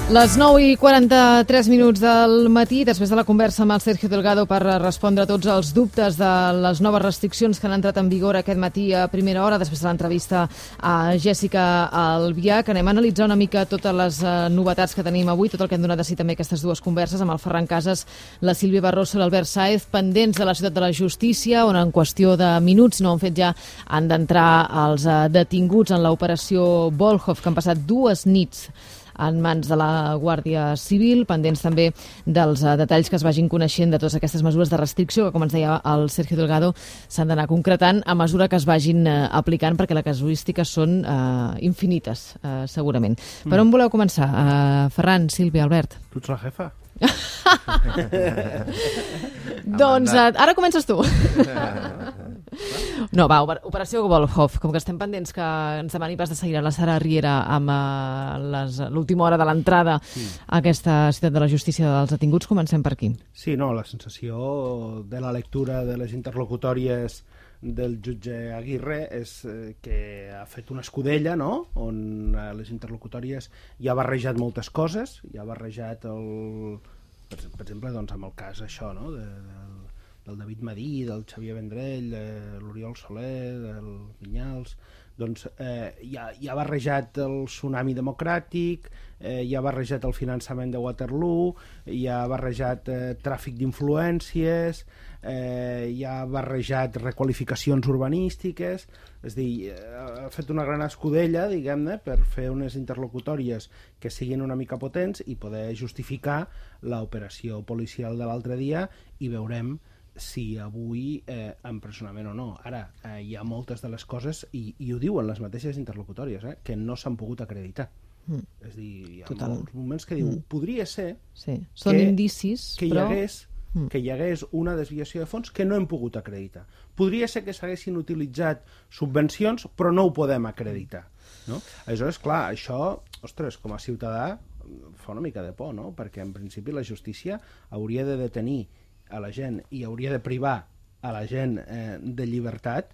Les 9:43 del matí, després de la conversa amb el Sergio Delgado per respondre a tots els dubtes de les noves restriccions que han entrat en vigor aquest matí a primera hora, després de l'entrevista a Jessica Albiach, anem a analitzar una mica totes les novetats que tenim avui, tot el que hem donat de si també aquestes dues converses amb el Ferran Casas, la Sílvia Barroso i l'Albert Sáez, pendents de la Ciutat de la Justícia, on en qüestió de minuts, no han fet ja, han d'entrar els detinguts en l'operació Volhov, que han passat 2 nits en mans de la Guàrdia Civil, pendents també dels detalls que es vagin coneixent de totes aquestes mesures de restricció que, com ens deia el Sergio Delgado, s'han d'anar concretant a mesura que es vagin aplicant, perquè les casuístiques són infinites, segurament. Per on voleu començar? Ferran, Sílvia, Albert? Tu ets la jefa? Doncs ara comences tu. No, va, operació Volhov, com que estem pendents que ens demani pas de seguir a la Sara Riera amb l'última hora de l'entrada a aquesta Ciutat de la Justícia dels detinguts, comencem per aquí. Sí, no, la sensació de la lectura de les interlocutòries del jutge Aguirre és que ha fet una escudella, no?, on les interlocutòries ja ha barrejat moltes coses, ja ha barrejat per exemple, doncs, amb el cas això, no?, del David Madí, del Xavier Vendrell, de l'Oriol Soler, del Vinyals, doncs ja ha barrejat el tsunami democràtic, ja ha barrejat el finançament de Waterloo, ja ha barrejat tràfic d'influències, ja ha barrejat requalificacions urbanístiques, és a dir, ha fet una gran escudella, diguem-ne, per fer unes interlocutòries que siguin una mica potents i poder justificar l'operació policial de l'altre dia, i veurem si avui empresonament o no. Ara, hi ha moltes de les coses, i ho diuen les mateixes interlocutòries, que no s'han pogut acreditar. És a dir, hi ha molts moments que diu, podria ser són indicis, però que hi hagués una desviació de fons que no hem pogut acreditar. Podria ser que s'haguessin utilitzat subvencions, però no ho podem acreditar. No? Aleshores, clar, això, ostres, com a ciutadà, fa una mica de por, no? Perquè en principi la justícia hauria de detenir a la gent i hauria de privar a la gent de llibertat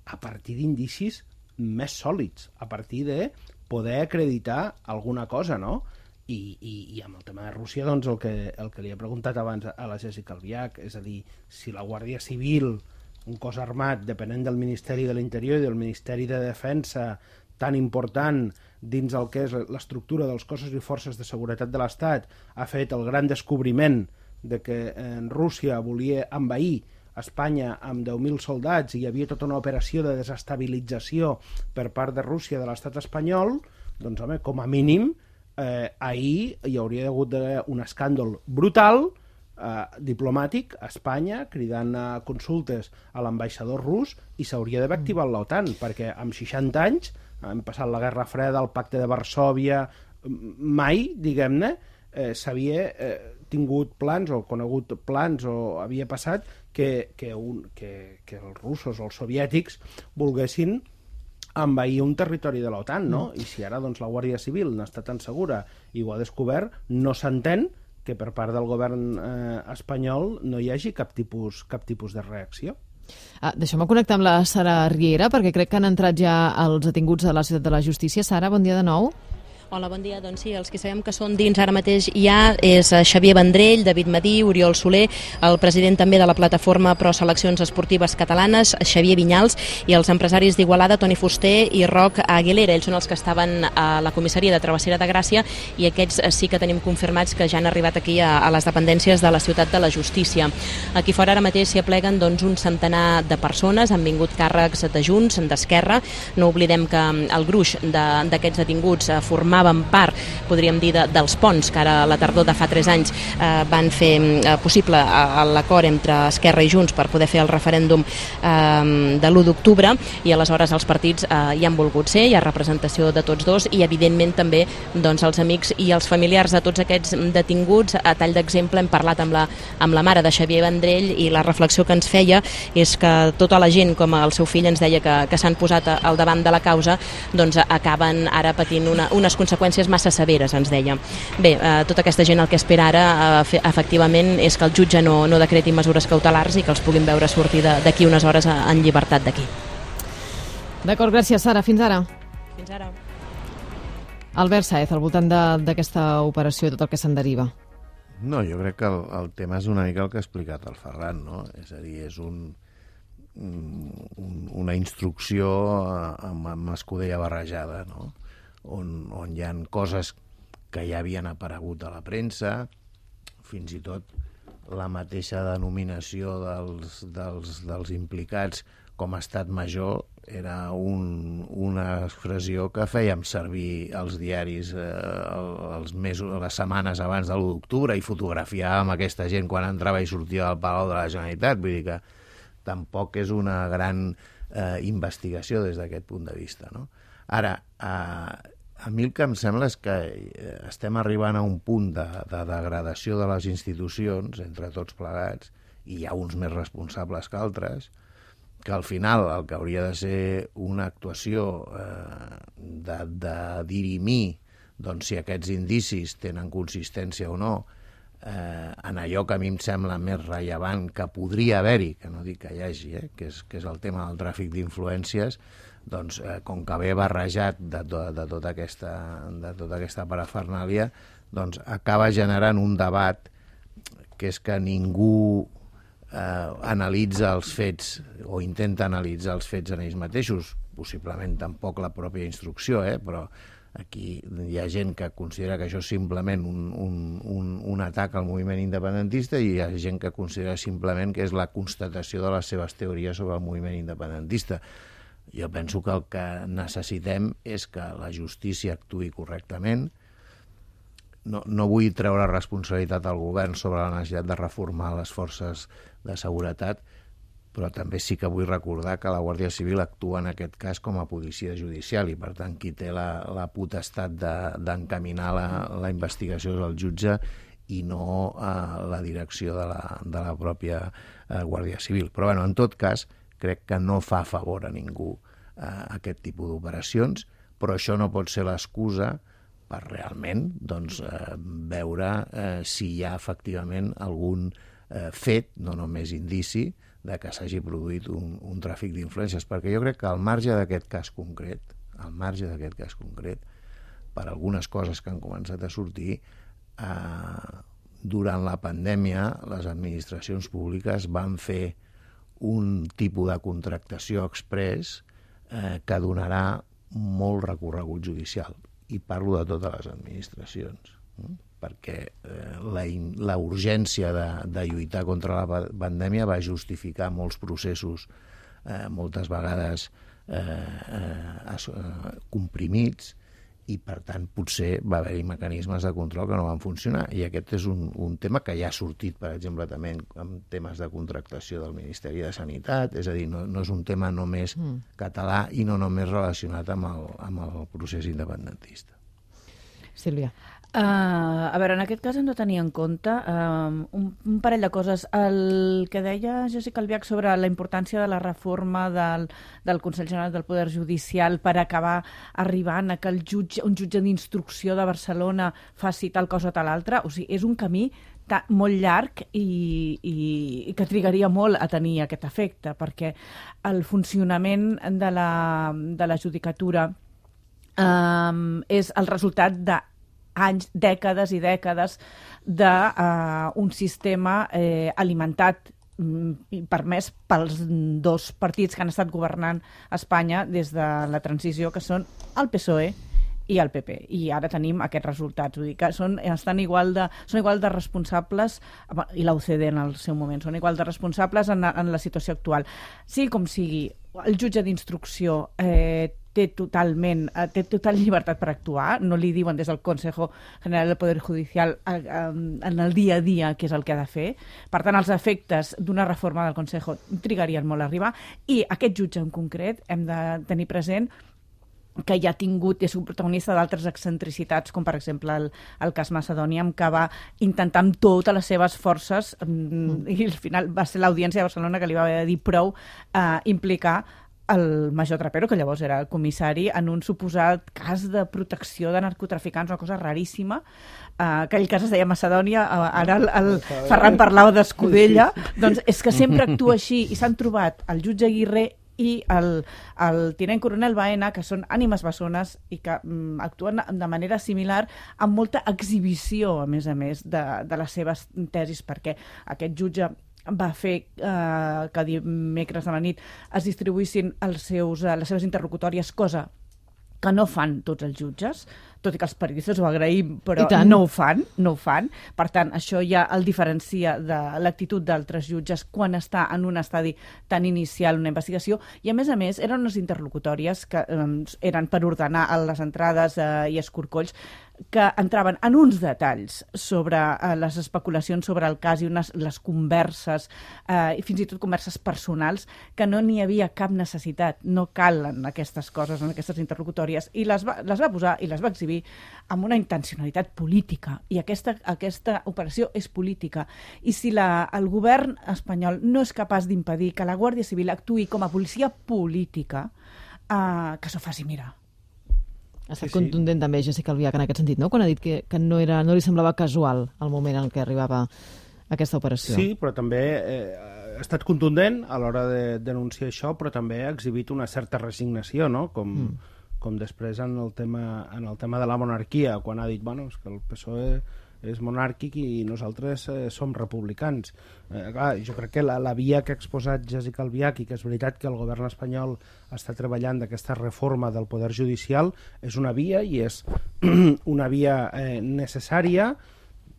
a partir d'indicis més sòlids, a partir de poder acreditar alguna cosa, no? I amb el tema de Rússia, doncs, el que li he preguntat abans a la Jessica Albiach, és a dir, si la Guàrdia Civil, un cos armat depenent del Ministeri de l'Interior i del Ministeri de Defensa, tan important dins el que és l'estructura dels cossos i forces de seguretat de l'Estat, ha fet el gran descobriment de que Rússia volia envair Espanya amb 10.000 soldats i hi havia tota una operació de desestabilització per part de Rússia de l'estat espanyol, doncs, home, com a mínim, ahir hi hauria hagut un escàndol brutal diplomàtic a Espanya, cridant a consultes a l'ambaixador rus, i s'hauria d'haver activat l'OTAN, perquè amb 60 anys hem passat la Guerra Freda, el Pacte de Varsòvia, mai, diguem-ne, s'havia tingut plans o conegut plans o havia passat que els russos o els soviètics volguessin envair un territori de l'OTAN, no? I si ara doncs, la Guàrdia Civil n'està tan segura i ho ha descobert, no s'entén que per part del govern espanyol no hi hagi cap tipus de reacció. Deixeu-me connectar amb la Sara Riera, perquè crec que han entrat ja els detinguts a la Ciutat de la Justícia. Sara, bon dia de nou. Hola, bon dia. Doncs sí, els que sabem que són dins ara mateix ja és Xavier Vendrell, David Madí, Oriol Soler, el president també de la plataforma Pro Seleccions Esportives Catalanes, Xavier Vinyals, i els empresaris d'Igualada, Toni Fuster i Roc Aguilera. Ells són els que estaven a la comissaria de Travessera de Gràcia, i aquests sí que tenim confirmats que ja han arribat aquí a les dependències de la Ciutat de la Justícia. Aquí fora ara mateix s'hi apleguen doncs, un centenar de persones, han vingut càrrecs de Junts, d'Esquerra. No oblidem que el gruix d'aquests detinguts formaven part, podríem dir, dels ponts que ara a la tardor de fa 3 anys van fer possible l'acord entre Esquerra i Junts per poder fer el referèndum de l'1 d'octubre, i aleshores els partits hi han volgut ser, hi ha representació de tots dos, i evidentment també doncs, els amics i els familiars de tots aquests detinguts. A tall d'exemple hem parlat amb la mare de Xavier Vendrell, i la reflexió que ens feia és que tota la gent, com el seu fill ens deia, que s'han posat al davant de la causa, doncs acaben ara patint unes conseqüències massa severes, ens deia. Bé, tota aquesta gent el que espera ara efectivament és que el jutge no decreti mesures cautelars i que els puguin veure sortir d'aquí unes hores en llibertat d'aquí. D'acord, gràcies, Sara. Fins ara. Fins ara. Albert Sáez, al voltant d'aquesta operació, tot el que se'n deriva. No, jo crec que el tema és una mica el que ha explicat el Ferran, no? És a dir, és una instrucció amb escudella barrejada, no? On hi ha coses que ja havien aparegut a la premsa, fins i tot la mateixa denominació dels implicats com a estat major era una expressió que fèiem servir els diaris les setmanes abans de l'1 d'octubre i fotografiàvem aquesta gent quan entrava i sortia del Palau de la Generalitat. Vull dir que tampoc és una gran investigació des d'aquest punt de vista, no? Ara, a mi el que em sembla és que estem arribant a un punt de degradació de les institucions entre tots plegats, i hi ha uns més responsables que altres, que al final el que hauria de ser una actuació de dirimir doncs, si aquests indicis tenen consistència o no, en allò que a mi em sembla més rellevant que podria haver-hi, que no dic que hi hagi, que és el tema del tràfic d'influències, doncs, com que ve barrejat de tota aquesta parafernàlia, doncs acaba generant un debat que és que ningú analitza els fets o intenta analitzar els fets en ells mateixos, possiblement tampoc la pròpia instrucció, però aquí hi ha gent que considera que això és simplement un atac al moviment independentista i hi ha gent que considera simplement que és la constatació de les seves teories sobre el moviment independentista. Jo penso que el que necessitem és que la justícia actuï correctament. No vull treure responsabilitat al govern sobre la necessitat de reformar les forces de seguretat, però també sí que vull recordar que la Guàrdia Civil actua en aquest cas com a policia judicial i, per tant, qui té la potestat d'encaminar la investigació és el jutge i no la direcció de la pròpia Guàrdia Civil. Però, en tot cas, crec que no fa favor a ningú aquest tipus d'operacions, però això no pot ser l'excusa per realment veure si hi ha efectivament algun fet, no només indici, de que s'hagi produït un tràfic d'influències, perquè jo crec que al marge d'aquest cas concret, per algunes coses que han començat a sortir, durant la pandèmia les administracions públiques van fer un tipus de contractació exprés que donarà molt recorregut judicial. I parlo de totes les administracions, perquè la urgència de lluitar contra la pandèmia va justificar molts processos, moltes vegades comprimits, i per tant potser va haver-hi mecanismes de control que no van funcionar, i aquest és un tema que ja ha sortit, per exemple, també en temes de contractació del Ministeri de Sanitat, és a dir, no és un tema només català i no només relacionat amb el procés independentista. Sílvia. A veure, en aquest cas hem de tenir en compte un parell de coses. El que deia Jessica Albiach sobre la importància de la reforma del Consell General del Poder Judicial per acabar arribant a que un jutge d'instrucció de Barcelona faci tal cosa o tal altra, o sigui, és un camí molt llarg i que trigaria molt a tenir aquest efecte, perquè el funcionament de la judicatura és el resultat d'anys, dècades i dècades d'un sistema alimentat i permès pels dos partits que han estat governant Espanya des de la transició, que són el PSOE i el PP, i ara tenim aquests resultats. Vull dir que són igual de responsables, i la UCD en el seu moment, són igual de responsables en la situació actual. Sigui com sigui, el jutge d'instrucció té total llibertat per actuar, no li diuen des del Consejo General del Poder Judicial en el dia a dia què és el que ha de fer. Per tant, els efectes d'una reforma del Consejo trigarien molt a arribar, i aquest jutge en concret hem de tenir present que ja ha tingut, és un protagonista d'altres excentricitats, com per exemple el cas Macedònia, que va intentar amb totes les seves forces, i al final va ser l'Audiència de Barcelona que li va haver de dir prou, implicar el major Trapero, que llavors era el comissari, en un suposat cas de protecció de narcotraficants, una cosa raríssima. Aquell cas es deia Macedònia, ara el Ferran parlava d'Escudella. Doncs és que sempre actua així, i s'han trobat el jutge Aguirre i el tinent coronel Baena, que són ànimes bessones i que actuen de manera similar, amb molta exhibició, a més, de les seves tesis, perquè aquest jutge va fer que dimecres a la nit es distribuïssin les seves interlocutòries, cosa que no fan tots els jutges, tot i que els periodistes ho agraïm, però no ho fan. Per tant, això ja el diferencia de l'actitud d'altres jutges quan està en un estadi tan inicial una investigació, i a més, eren unes interlocutòries que eren per ordenar les entrades i escorcolls, que entraven en uns detalls sobre les especulacions sobre el cas i les converses, i fins i tot converses personals, que no n'hi havia cap necessitat. No calen aquestes coses en aquestes interlocutòries, i les va posar i les va exhibir amb una intencionalitat política, i aquesta operació és política. I si el govern espanyol no és capaç d'impedir que la Guàrdia Civil actuï com a policia política, que s'ho faci mirar. Ha estat contundent també Jessica Albiach en aquest sentit, no? Quan ha dit que no li semblava casual el moment en què arribava aquesta operació. Sí, però també ha estat contundent a l'hora de denunciar això, però també ha exhibit una certa resignació, no? Com després en el tema de la monarquia, quan ha dit, bueno, és que el PSOE és monàrquic i nosaltres som republicans. Clar, jo crec que la via que ha exposat Jessica Albiach, i que és veritat que el govern espanyol està treballant d'aquesta reforma del poder judicial, és una via, i és una via necessària.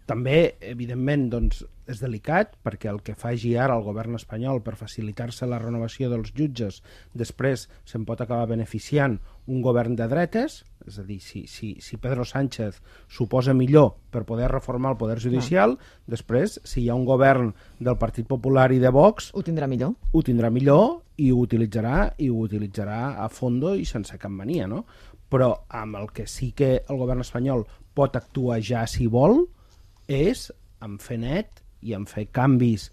També, evidentment, doncs, és delicat, perquè el que faci ara el govern espanyol per facilitar-se la renovació dels jutges, després se'n pot acabar beneficiant un govern de dretes, és a dir, si Pedro Sánchez s'ho posa millor per poder reformar el poder judicial, després, si hi ha un govern del Partit Popular i de Vox... Ho tindrà millor. Ho tindrà millor i ho utilitzarà a fondo i sense cap mania, no? Però amb el que sí que el govern espanyol pot actuar ja si vol és en fer net i en fer canvis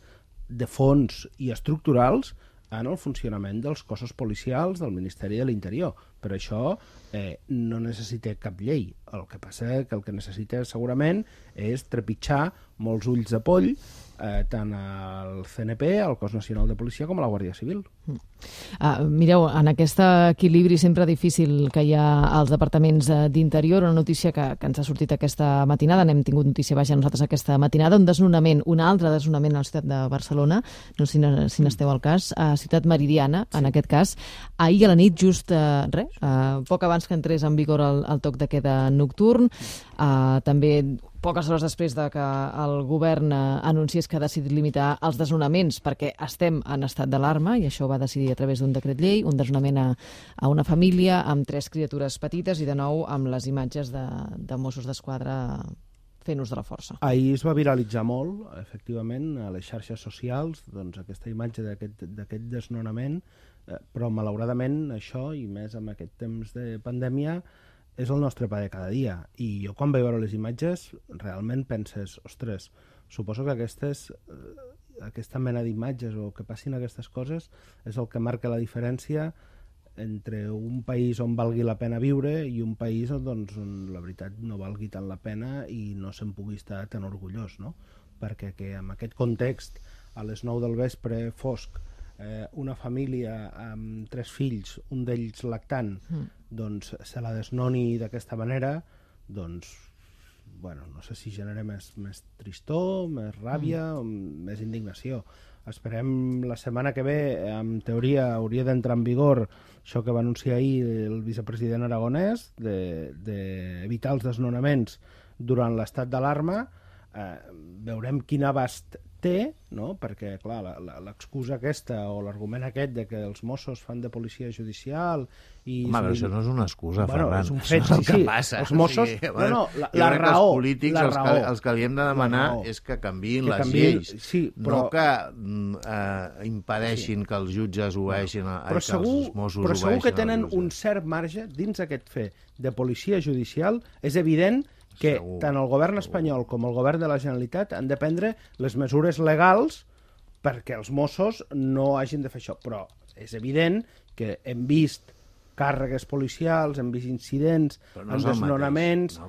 de fons i estructurals en el funcionament dels cossos policials del Ministeri de l'Interior. Per això no necessita cap llei. El que passa que el que necessita segurament és trepitjar molts ulls de poll tant al CNP, al Cos Nacional de Policia, com a la Guàrdia Civil. Mireu, en aquest equilibri sempre difícil que hi ha als departaments d'Interior, una notícia que ens ha sortit aquesta matinada, n'hem tingut notícia nosaltres aquesta matinada, un altre desnonament a la ciutat de Barcelona, no sé si n'esteu al cas, a Ciutat Meridiana, en aquest cas, ahir a la nit, just poc abans que entrés en vigor el toc de queda nocturn, també poques hores després de que el govern anunciés que ha decidit limitar els desnonaments perquè estem en estat d'alarma, i això va decidir a través d'un decret llei, un desnonament a una família amb 3 criatures petites, i de nou amb les imatges de Mossos d'Esquadra fent ús de la força. Ahir es va viralitzar molt, efectivament, a les xarxes socials, doncs, aquesta imatge d'aquest desnonament, però malauradament això, i més amb aquest temps de pandèmia, és el nostre pa de cada dia. I jo quan vaig veure les imatges realment penses, ostres, suposo que aquesta mena d'imatges o que passin aquestes coses és el que marca la diferència entre un país on valgui la pena viure i un país on la veritat no valgui tant la pena i no se'n pugui estar tan orgullós, no? Perquè que en aquest context, a les 9 del vespre, fosc, una família amb 3 fills, un d'ells lactant, doncs se la desnoni d'aquesta manera, doncs, bueno, no sé si genera més tristor, més ràbia, o més indignació. Esperem la setmana que ve, en teoria hauria d'entrar en vigor això que va anunciar ahir el vicepresident aragonès, d'evitar els desnonaments durant l'estat d'alarma. Veurem quin abast té, no? Perquè, clar, l'excusa aquesta o l'argument aquest de que els Mossos fan de policia judicial i... Home, però això no és una excusa, Ferran. És un fet, això és el que passa. Els Mossos... La raó. Els polítics, els que li hem de demanar és que canviïn les lleis. Sí, però... No que impedeixin que els jutges obeeixin, que els Mossos obeeixin. Però segur que tenen un cert marge dins aquest fet de policia judicial. És evident que tant el govern espanyol com el govern de la Generalitat han de prendre les mesures legals perquè els Mossos no hagin de fer això. Però és evident que hem vist càrregues policials, hem vist incidents, en desnonaments...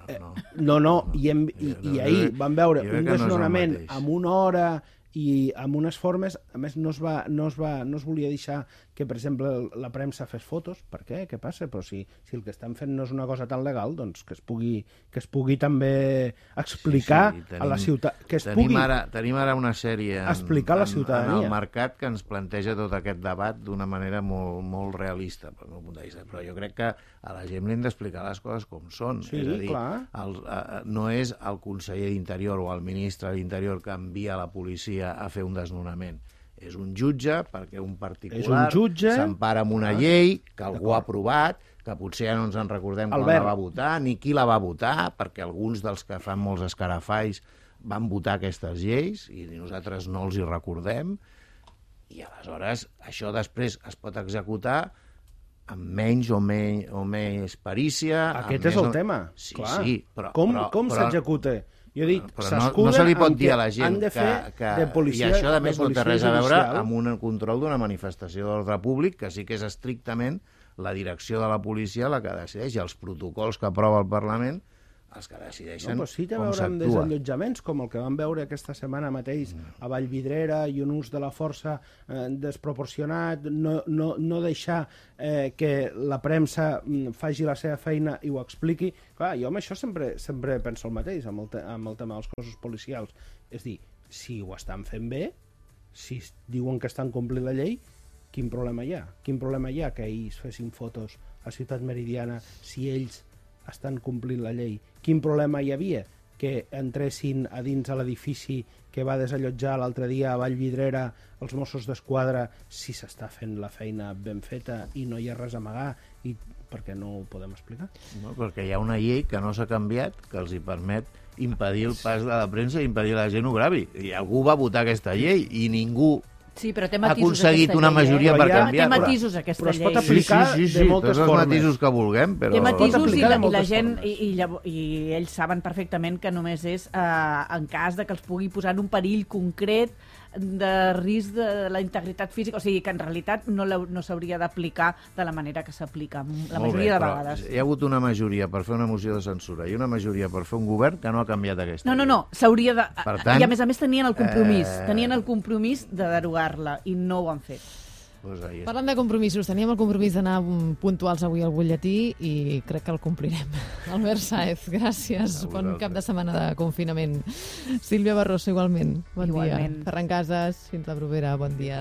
I ahir vam veure un desnonament amb 1 hora i amb unes formes, a més no es volia deixar que, per exemple, la premsa fes fotos. Per què? Què passa? Però si el que estan fent no és una cosa tan legal, doncs que es pugui també explicar a la ciutat, que es pugui... Tenim ara una sèrie explicar a la ciutadania en el mercat que ens planteja tot aquest debat d'una manera molt, molt realista, pel meu punt de vista. Però jo crec que a la gent li hem d'explicar les coses com són. Sí, és a dir, clar. no és el conseller d'Interior o el ministre d'Interior que envia la policia a fer un desnonament. És un jutge, perquè un particular s'empara amb una llei que algú ha aprovat, que potser ja no ens en recordem quan la va votar, ni qui la va votar, perquè alguns dels que fan molts escarafalls van votar aquestes lleis i nosaltres no els hi recordem, i aleshores això després es pot executar amb menys o més perícia. Aquest és el tema. Sí, clar. sí, però... Com s'executa? Jo dic, no se li pot dir a la gent que policia, i això, a més, no té res a veure amb un control d'una manifestació d'ordre públic, que sí que és estrictament la direcció de la policia la que decideix, i els protocols que aprova el Parlament els que decideixen com s'actua. Sí, té a veure amb desallotjaments, com el que vam veure aquesta setmana mateix a Vallvidrera, i un ús de la força desproporcionat, no deixar que la premsa faci la seva feina i ho expliqui. Clar, jo amb això sempre penso el mateix, amb el tema dels cossos policials. És dir, si ho estan fent bé, si diuen que estan complint la llei, quin problema hi ha? Quin problema hi ha que ells fessin fotos a Ciutat Meridiana si ells estan complint la llei? Quin problema hi havia que entressin a dins a l'edifici que va desallotjar l'altre dia a Vallvidrera els Mossos d'Esquadra si s'està fent la feina ben feta i no hi ha res a amagar? I per què no ho podem explicar? No, perquè hi ha una llei que no s'ha canviat, que els hi permet impedir el pas de la premsa i impedir que la gent ho gravi. I algú va votar aquesta llei i ningú sí, però té ha aconseguit una majoria per canviar-la. Té matisos aquesta llei. Però es pot aplicar de moltes tots formes. Els matisos que vulguem, però... Té matisos i la gent, i ells saben perfectament que només és en cas de que els pugui posar en un perill concret de risc de la integritat física, o sigui que en realitat no s'hauria d'aplicar de la manera que s'aplica la majoria de vegades. Hi ha hagut una majoria per fer una moció de censura i una majoria per fer un govern que no ha canviat aquesta llei. No, s'hauria de... tant, i a més tenien el compromís de derogar-la i no ho han fet. Pues parlant de compromisos, teníem el compromís d'anar puntuals avui al butlletí i crec que el complirem. Albert Sáez, gràcies. Bon cap de setmana de confinament. Sílvia Barroso, igualment. Bon dia. Ferran Casas, fins la propera. Bon dia.